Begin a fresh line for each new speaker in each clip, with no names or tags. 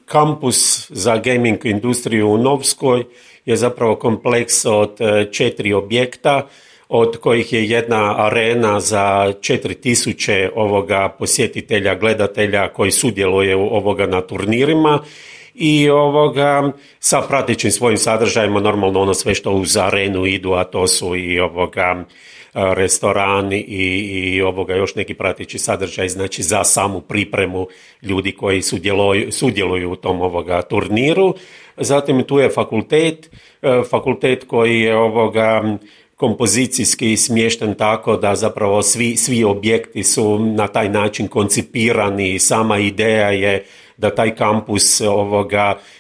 Kampus za gaming industriju u Novskoj je zapravo kompleks od 4 objekta, od kojih je jedna arena za 4000 posjetitelja, gledatelja koji sudjeluju na turnirima i sa pratećim svojim sadržajima, normalno ono sve što uz arenu idu, a to su i restorani i još neki prateći sadržaj, znači za samu pripremu ljudi koji sudjeluju u tom turniru. Zatim tu je fakultet koji je kompozicijski smješten tako da zapravo svi objekti su na taj način koncipirani i sama ideja je da taj kampus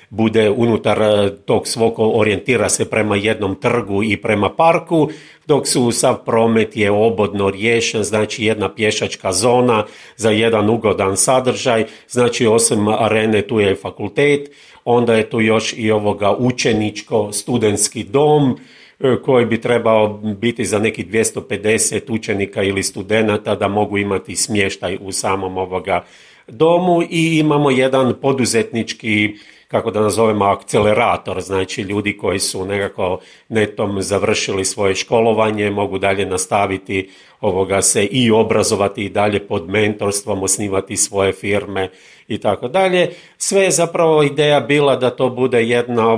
bude unutar tog svog, orijentira se prema jednom trgu i prema parku, dok su sav promet je obodno riješen, znači jedna pješačka zona za jedan ugodan sadržaj, znači osim arene tu je fakultet, onda je tu još i učeničko-studentski dom, koji bi trebao biti za nekih 250 učenika ili studenata da mogu imati smještaj u samom domu i imamo jedan poduzetnički, kako da nazovemo, akcelerator, znači ljudi koji su nekako netom završili svoje školovanje, mogu dalje nastaviti se i obrazovati i dalje pod mentorstvom, osnivati svoje firme i tako dalje. Sve je zapravo ideja bila da to bude jedna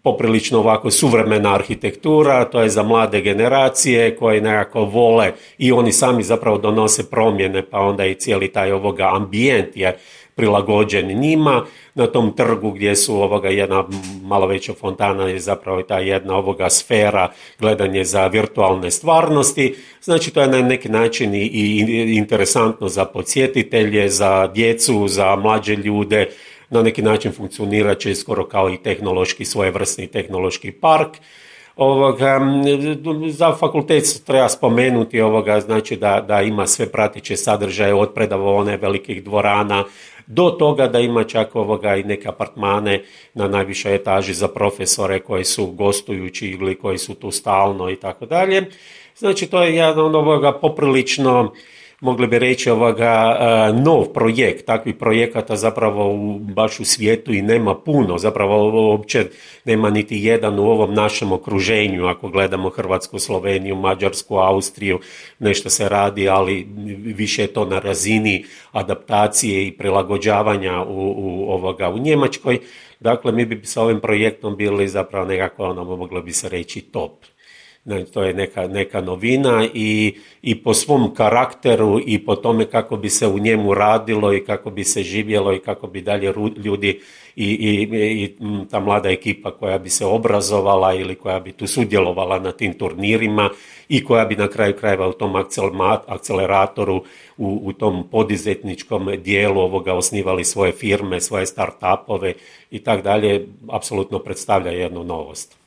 poprilično ovako suvremena arhitektura, to je za mlade generacije koje nekako vole i oni sami zapravo donose promjene, pa onda i cijeli taj ambijent je prilagođen njima. Na tom trgu gdje su jedna malo veća fontana je zapravo ta jedna sfera gledanje za virtualne stvarnosti. Znači to je na neki način i interesantno za podsjetitelje, za djecu, za mlađe ljude. Na neki način funkcionirat će skoro kao i tehnološki, svojevrsni tehnološki park. Za fakultet treba spomenuti znači da ima sve prateće sadržaje od predavaone velikih dvorana do toga da ima čak i neke apartmane na najvišoj etaži za profesore koji su gostujući ili koji su tu stalno i tako dalje. Znači to je jedan poprilično, mogli bi reći, nov projekt. Takvih projekata zapravo baš u svijetu i nema puno. Zapravo uopće nema niti jedan u ovom našem okruženju. Ako gledamo Hrvatsku, Sloveniju, Mađarsku, Austriju, nešto se radi, ali više je to na razini adaptacije i prilagođavanja u Njemačkoj. Dakle, mi bi sa ovim projektom bili zapravo nekako, moglo bi se reći, top. To je neka novina i po svom karakteru i po tome kako bi se u njemu radilo i kako bi se živjelo i kako bi dalje ljudi i ta mlada ekipa koja bi se obrazovala ili koja bi tu sudjelovala na tim turnirima i koja bi na kraju krajeva u tom akceleratoru, u tom poduzetničkom dijelu osnivali svoje firme, svoje start-upove i tak dalje, apsolutno predstavlja jednu novost.